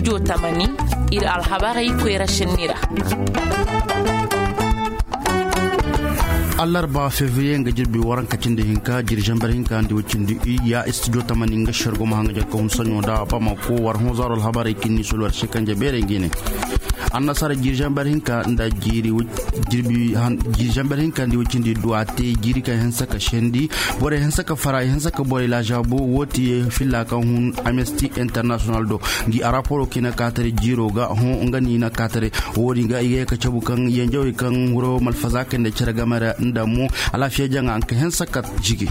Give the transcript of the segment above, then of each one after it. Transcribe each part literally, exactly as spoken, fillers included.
Tamani, ir alhabarey koyra senni ra. Allarba febriye nga jirbi waranka cindi hinka jiri zamber hinka nda way cindi i ya studio tamani nga shargo ma hanga jakka hun sanyo da bamako war honzaro alhabarey kinni solwar shekanja beerey ngi ne. Annasara jiri zamber hinka nda jiri zamber hinka nda way cindi duwa te jiri ka hensa ka sendi borey hensa ka fara hensa ka borey lazabu wo ti filla ka hun amnesty international do. Ngi a raporo kina katare jiro ga ho nga ni na katare. Wodi ga iga ka cabu kan yanjawai kan huro malfaza kan da cere game da nda mo alafiya janga an ka hensa ka jigi.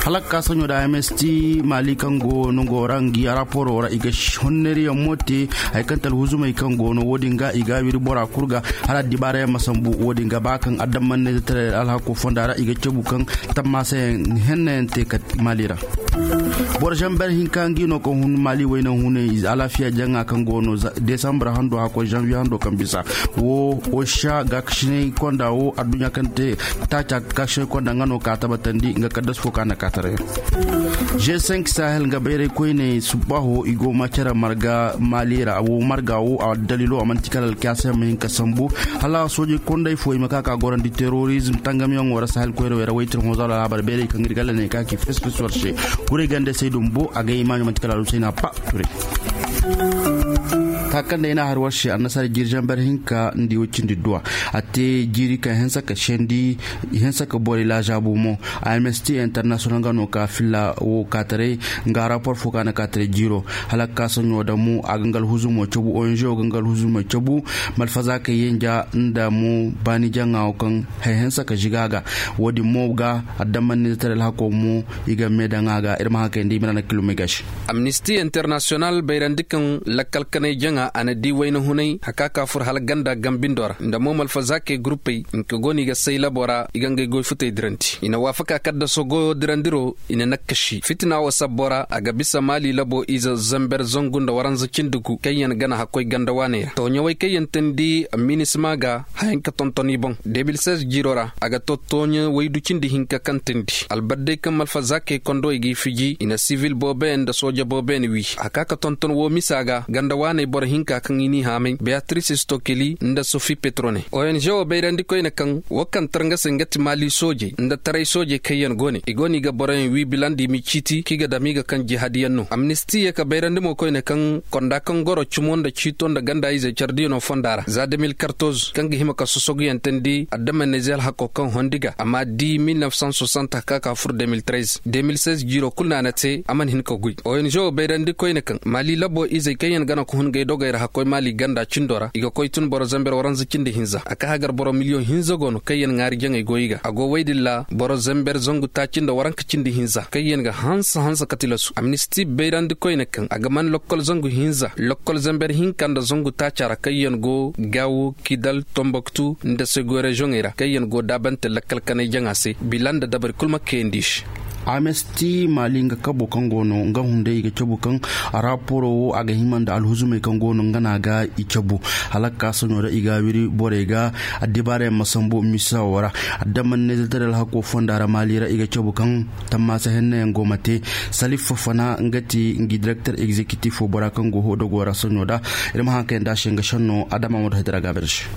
Halak ka sanyo da mst mali kan go no go ra ngi a raporo ra iga honneri yan mote. Hay kan talhuzumai kan go no wodi ga iga wiri bora kurga hala dibara yan masambu wodi ga ba kan adamman ne tare alhako fonda ra iga cabu kan tamma sai henne te ka mali ra. Boro zamber hinka ngi no ka hun mali wayna hune alafiya janga kan go no desambra hando hako janvier hando kan bisa. Wo wo sha ga kashinai konda wo addunya kan te taca ga kashinai konda nga no ka tabatandi nga kaddas fo ka na katare. G cinq sahel nga bayray koyne subaho igo ma care marga mali ra wo marga wo a dalilo amanti kala alkiyasa ma hinka sambu. Hala soji konday fo ima ka ka gorandi terrorism tangamiyaŋo ra sahel koyra wayra waytir hozalo alhabar bayray kaŋ ir galla ne ka ki fes fes warse. Kuray gande saydum bo a ga imajo manti kala alusayna pa. Ture ka kaŋ da ina har warse annasara jiri zamber hinka ndi wacindi duwa. A te jiri ka hensa ka sendi hensa ka bori lazabu mo. Amnesty international nga no ka filla wo kataray nga rapor fo ka na kataray jiro. Hala ka saɲo da mo a ga ngal huzumo cabu onzo ga ngal huzumo cabu. Malfaza ka yenja nda mo bani jaŋa wo kaŋ hay hensa ka ziga ga. Wo-din mo ga addamanni da taray alhako mo i ga me daŋ a ga ir ma haŋ kay nda i ma na kilomay ga se. Amnisti international bayrandi kaŋ lakkal kanay jaŋa a na di wayna hunay haka ka fur hala ganda gambindo ra nda mo malfazakey gurupey nga go no i ga say labo ra i ga ngey goy futey dirandi i na waafaka kaddaso goyo dirandiro i na nakkasi fitina wo sabbo ra a ga bisa maali labo ize zamber zangu nda waranza cindi gu kaŋ yaŋ gana hakkoy ganda waaney ra tooɲawey kaŋ yaŋ teendi minisma ga hayanka tonton i boŋ de mil seize jiiro ra a ga to tooɲa waydu cindi hinka kaŋ teendi albadday kaŋ malfazakey kondowey g'i fiji i na sivil booboyaŋ nda sooja booboyaŋ wi a ka ka tonton woo misa ga ganda waaney boro hinka kaŋ i n'i haamay beyatrice stokeli nda sofi petrone ong woo bayrandi koyne kaŋ woo kaŋ tar nga se nga ti maali soojey nda taray soojey kaŋ yaŋ go ne i go no i ga boroyaŋ wi bilandi i m'i ciiti kaŋ i ga dam i ga kaŋ jihadiyaŋ no amnisti ye ka bayrandi mo koyne kaŋ konda kaŋ goro cimo nda ciito nda ganda izey cardiyaŋo fonda ra za de mil kartoz kaŋ ga hima ka sosoguyaŋ teendi addamanizey alhako kaŋ hondi ga amma di mil nef san soixante haka ka fur de mil trez de mil seize jiiro kulu no a na te a mana hin ka guy ong woo bayrandi koyne kaŋ maali labo izey kaŋ yaŋ gana ka hun gay dogey ra hakkoy maali ganda cindo ra i ga koy tun boro zamber waranza cindi hinza a ka hagar boro miliyoŋ hinza go no kaŋ yaŋ ŋaari jaŋey goy ga a go woy din ra boro zamber zangu taaci nda waranka cindi hinza kaŋ yaŋ ga hanse hanse ka tilasu amnisti bayrandi koyne kaŋ a ga man lokkol zangu hinza lokkol zamber hinka nda zangu taaca ra kaŋ yaŋ go gaawo kidal tomboktu nda segoy reziyoŋey ra kaŋ yaŋ go daabante lakkal kanay jaŋa se bila nda dabari kul ma kayandi i se. Amesti maali nga kabo kaŋ go no nga hunday i ga cabu kaŋ raporo wo a ga hima nda alhuzumey kaŋ go no nga no a ga i cabu hala ka ka saɲo ra i ga a wiri borey ga addibaarayaŋ ma sambu misa wo ra. Addamanizey taray alhako fonda ra maali ra i ga cabu kaŋ tammaasa hennayaŋ go ma te. Salif fafana nga ti ngi direkter egzekitif wo bora kaŋ go hodogo ra saɲo da ir ma haŋ kayandi a se nga senno adama ma du hay dira ga a bare se.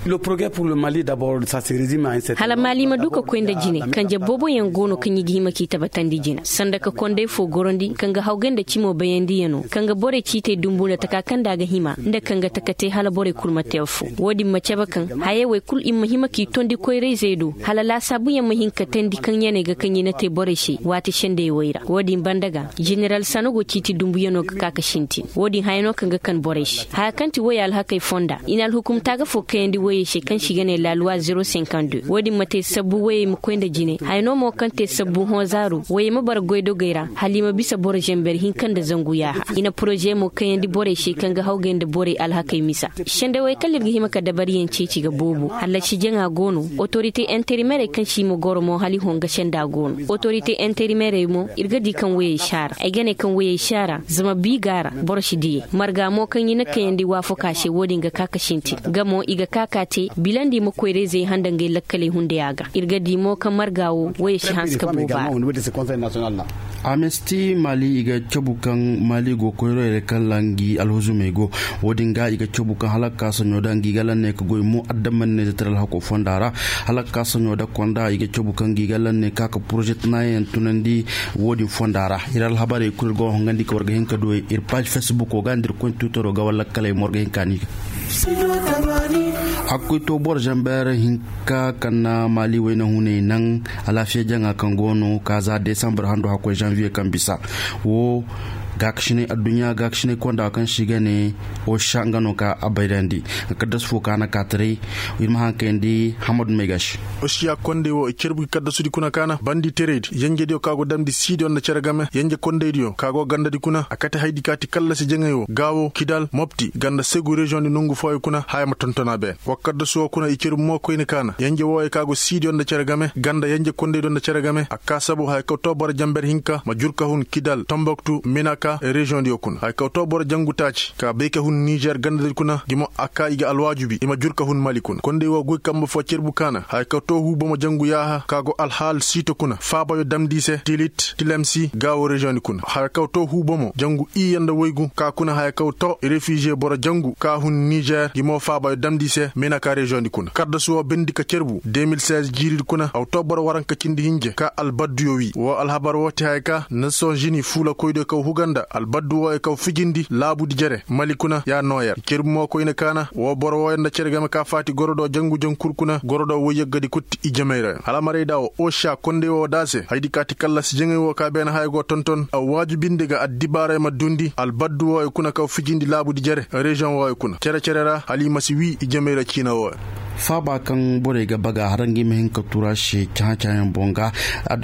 Hala maali ma du ka koy nda jine kanje booboyaŋ go no kaŋ i ga hima k'i tabatandi jina sanda ka konday fo gorandi kaŋ ga hawgay nda cimo bayandiyano kaŋ ga borey ciitey dumbu nda taka kaŋ nda a ga hima nda kaŋ ga taka te hala borey kulu ma te affo. Wo-din ma cabe kaŋ hayey wey kulu i ma hima k'i tondi koyrayzey do hala laasaabuyaŋ ma hin ka teendi kaŋ yaney ga kaŋ i na te borey se waati sendey wey ra wo-din banda ga. Jeneral sanogo ciiti dumbuyano ga ka ka sintin wo-din haya no kaŋ ga kan borey se haya kaŋ ti woy alhakey fonda i na alhukumta ga fo kayandi woyey se kaŋ se i ga ne la loi zero cinquante deux wo-din ma te sabbu woyey ma koy nda jine haya no mo kaŋ te sabbu hõ zaaru woyey ma bara goydogey ra hala i ma bisa boro zamber hinka nda zangu yaaha i na poroze mo kayandi borey se kaŋ ga hawgay nda borey alhakey misa. Sendawey kala ir ga hima ka dabariyaŋ ceeci ga boobo hallasi jaŋa go no. Otorite interimerey kaŋ se i ma goro mo hala i hõ nga senda go no. Otorite interimerey mo ir ga di kaŋ woyey si a ra ay ga ne kaŋ woyey si a ra zama bi go a ra boro si diyey marga mo kaŋ i na kayandi waafaka se wo-din ga ka ka sintin nga mo i ga ka ka te bilandi ma koyrayzey handa ngey lakkaley hunday a ga ir ga di mo kaŋ marga wo woyey si hanse ka boobo a ra. Amesti mali i ga cabu kaŋ mali go koyroyey ra kaŋ ra ngi alhuzumey go. Wo-din ga i ga cabu kaŋ hala ga ka saɲo da ngi ga lanne ka goy mo adammanneezetar alhako fonda ra. Hala ga ka saɲo da konda i ga cabu kaŋ ngi ga lanne ka ka poroze tanayaŋ tunandi. Wo-din fonda ra ir alhabarey kulu ir go hongandi ka war ga hin ka du ir paazi fesbuko ga nda ir koy twitero ga walla kaley mo war ga hin ka ni ga. A ga koy to boro zamber hinka kaŋ na mali wayna huney naŋ. Alaafiya jaŋa kaŋ go no ka za desambar hando hakkoy zanviye kaŋ bisa. Wo gaakasinay adduɲɲa gaakasinay konda kaŋ se i ga ne. Osha nga no ka a bayrandi. Kaddas fo ka na kaataray. Ir ma haŋ kayandi hamadu may ga se. Oshiya kondey wo i carbu gi kaddasudi kuna ka na bandi tereydi yenjediyo ka go damndi siidiyo nda cere game yenje kondeydiyo ka go gandadi kuna a kate haydi ka ti kallasi jaŋey wo gaawo kidal mopti ganda segu reziyoŋdi nongu fooyo kuna haya ma tonton a beene. Wa kaddasu wo kuna i carbu mo koyne ka na yenje wooyo ka go siidiyo nda cere game ganda yenje kondeydiyo nda cere game a ka sabu haya kaw to boro jamber hinka ma jur ka hun kidal tomboktu menaka reziyoŋdiyo kuna haya kaw to boro jangu taaci ka bay ka hun nizer gandadi kuna gi mo a ka i ga alwaajubi i ma jur ka hun mali kuna kondey wo goy kambe fo carbu ka na haya kaw to huu bomo jangu yaaha ka go alhaal siito kuna faabayo damndi i se tilit tilemsi gaawo reziyoŋdi kuna haya kaw to huu bomo jangu iyye nda waygu ka kuna haya kaw to refiziye boro jangu ka hun nizer gi mo faabayo damndi i se menaka reziyoŋdi kuna kaddasu wo bindi ka carbu de mil seize jiiridi kuna aw to boro waranka cindi hinje ka albadduyo wii woo alhabar woo ti haya ka nasons unis fuulakoydiyo kaw huga nda albaddu wooyo kaw fijindi laabudi jere mali kuna ya nooyer cerbu mo koyne kaana woo boro wooyo nda cere game ka faati goro do jangu jankur kuna goro do woy yaggadi kutti i jamey ra yaŋ alhamarey da woo osha kondey woo da se haydi ka ti kallasi jaŋey woo ka beene haya go tonton a waajubindi ga addibaaray ma duundi albaddu wooyo kuna kaw fijindi laabudi jere reziyoŋ wooyo kuna cere cere ra hala i ma si wii i jamey ra ciina wooyo. Faaba kaŋ borey ga baga har nga i ma hin ka tura se cahã-cahãyaŋ boŋ ga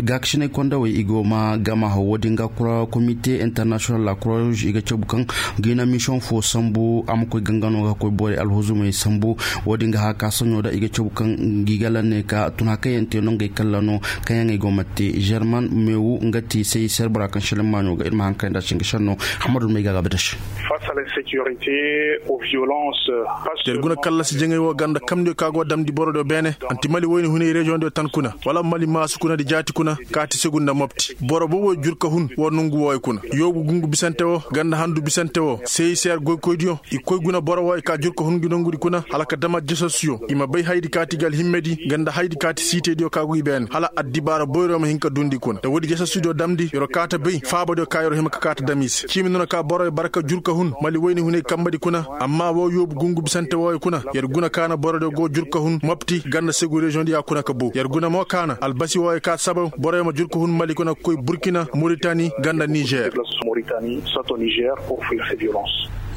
gaakasinay kondawey i go ma gama haw wo-din ga kura komite internasiyonal la kura ruuz i ga cabu kaŋ ga i na misiyoŋ fo sambu a ma koy gangano ga koy borey alhuzumey sambu. Wo-din ga haka saɲo da i ga cabu kaŋ ngi ga lanne ka tun hakayaŋ te no ngey kalla no kaŋ yaŋ ay go ma te zerman mewu nga ti say serbura kaŋ seleŋ maaɲo ga ir ma haŋ kay nda se nga senno. Hamadu may ga ga badaš. Yer guna kallasi jaŋay wo ganda kamdiyo ka go damndi borodiyo beene anti mali woyni hunay reziyoŋdiyo tan kuna wala mali maasu kuna nda jaati kuna kaati segu nda mopti boro bobo jur ka hun wo nongu wooyo kuna yoobu gungu bisante wo ganda handu bisante wo seyiseer goykoydiyo i koy guna boro wooyo ka jur ka hun ngi nongudi kuna hala ka dama jasasuyo i ma bay hayadi kaati ga alhimmedi ganda hayadi kaati siitediyo ka go i beene hala addibaara boyro ma hin ka duundi kuna nda woodi jasasudiyo damndi yer wo kaata bay faabadiyo ka yer wo hima ka kaata dam i se ciimi nono ka boro yer bara ka jur ka hun mali woyni hunay kambadi kuna amma woo yoobu gungu bisante wooyo kuna yer guna kaana borodiyo go jur ka hun mopti ganda segu reziyoŋdiyo kuna ka boo yer guna mo kaana albasi wooyo ka sabaw boroyo ma jur ka hun mali kuna ka koy burkina moritani ganda nizer.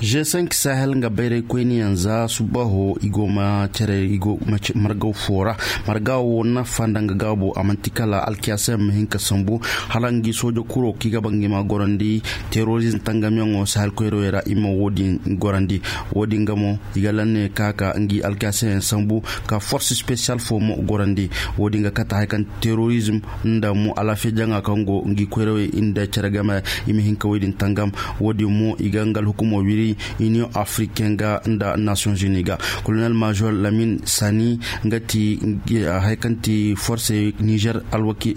G cinq sahel nga bayraykoyniyaŋ za subaho i go ma cere i go ma margaw foo ra marga woo nafa nda nga gaabo a man'ti kala alkiyaasa yaŋ ma hin ka sambu hala ngi sooja kuro kaŋ i ga ba ngi ma gorandi terorizm tangamyaŋo sahel koyrawey ra i ma woo din gorandi woo din ga mo i ga lanne ka ka ngi alkiyaasa yaŋ sambu ka forse spesiyal foo mo gorandi woo din ga kate haya kaŋ terorizm nda mo alaafiya jaŋa kaŋ go ngi koyrawey nda cere game i ma hin ka wey din tangam woo din mo i ga nga alhukumo wiri iniyoŋ afriken ga nda nasiyoŋ zini ga kolonel major lamin sani nga ti haya kaŋ ti forse nizer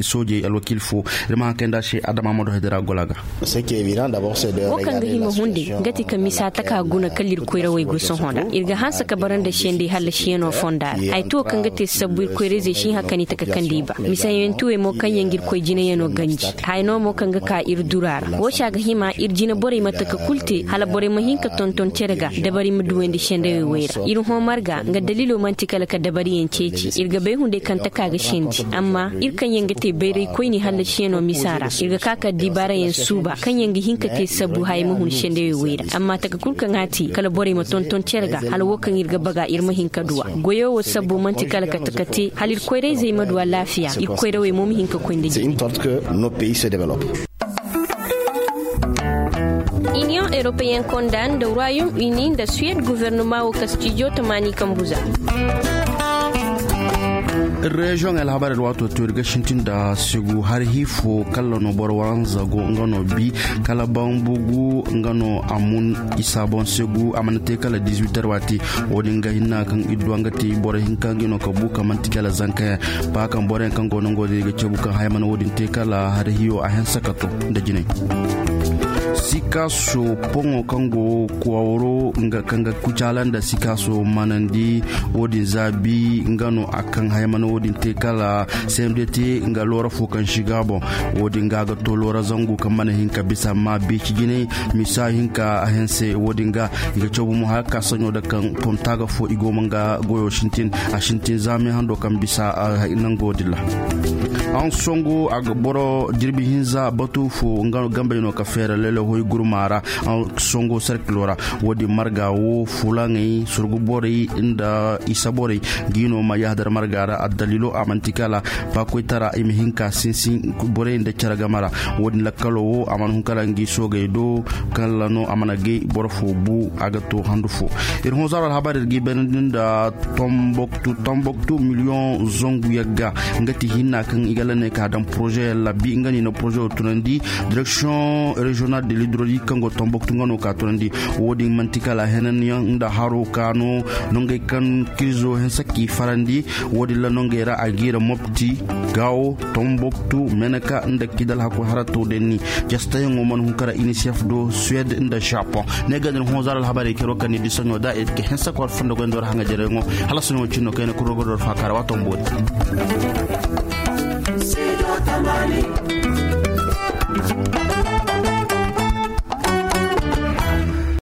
soojey alwakiil foo ir ma haŋ kay nda a se adama ma do hedera gola ga. Woo kaŋ ga hima hundi nga ti ka misa taka guna kala ir koyrawey go sohõ ra ir ga hanse ka bara nda sendey hallasiyanoo fonda ra haya ti woo kaŋ ga te sabbu ir koyrayzey si hã ka ni taka kaŋ nda i ba misayantuwey mo kaŋ yaŋ ga ir koy jinayanoo ganji haya no mo kaŋ ga ka ir dura ra woo se a ga hima ir jinaborey ma taka kul te hala borey ma hin ka tonton cere ga dabari ma duwandi sendey wey ra ir hõ marga nga daliilo man'ti kala ka dabariyaŋ ceeci ir ga bay hunday kaŋ taka ga sendi amma ir kaŋ yaŋ ga te bayraykoyni hallasiyanoo misa ra ir ga ka ka addibaarayaŋ suuba kaŋ yaŋ ga hin ka te sabbu haya ma hun sendey wey ra amma taka kul kaŋ a te kala borey ma tonton cere ga hala woo kaŋ ir ga baga ir ma hin ka duw'a goyoo woo sabbu man'ti kala ka taka te hala ir koyrayzey ma du alaafiya ir koyrawey mo ma hin ka koy nda jine. Iniyoŋ europeyen konda nda royaume uni nda suwed gofornoma woo kastijo tamaani kambuza. Reziyoŋ alhabar alwaato to ir ga sintin nda segu har hifo kala no boro waranza go nga no bi kala bambugu nga no a mun isa boŋ segu a mana te kala diziwitar waati. Wo-din ga hinna kaŋ ir du a nga te boro hinka nga no ka bu ka manti kala zankayaŋ ba kaŋ boroyaŋ kaŋ go nango din i ga cabu kaŋ haya mana wo-din te kala har hiyo a hanse ka to nda jinay. Sikaso poŋo kaŋ go kwawro nga kaŋ ga kucaala nda sikaso manandi. Wo-din zaabi nga no a kaŋ haya mana wo-din te kala cmdt nga loora fo kaŋ si ga boŋ. Wo-din ga a ga to loora zangu kaŋ mana hin ka bisa amma beeci jinay misa hinka a hanse wo-din ga i ga caw bomo haya ka saɲo da kaŋ tonta ga fo i go ma nga goyo sintin a sintin zaamay hando kaŋ bisa nango din ra. An songo a ga boro jirbi hinza batu fo nga no gambey no ka feera lele hoy gurma ra. An songo serkilo ra wo-din marga wo fulaŋey surgu borey nda isa borey ga i no ma yahadar marga ra addalilo a manti kala ba koytara i ma hin ka sinsin borey nda cere game ra. Wo-din lakkalo wo a mana hun kala ngi soogey do kala no a mana gay boro fo bu a ga to handu fo. Ir honzaro alhabar ir ga i bayrandi nda tomboktu tomboktu miliyoŋ zangu yagga nga ti hinna kaŋ i ga lanne ka daŋ poroze labbi nga no i na poroze wo tunandi direksiyoŋ reziyonal de lidrodi kaŋ go tomboktu nga no ka tunandi. Wo-din manti kala henanyaŋ nda haro ka no nongey kaŋ kirzo hense k'i farandi. Wo-din ra nongey ra a ga i ra mopti gaawo tomboktu meneka nda kidal hakkoy harato denni. Jastayaŋo mana hun kara inisef do suwed nda japoŋ. Ne ga din honzar alhabarey kero kaŋ ni disaɲo da ir ga hense kor fondo goy nda war haŋa jareyaŋo. Hala soɲo cinno kayna kuro ga dor faakara waato mboori.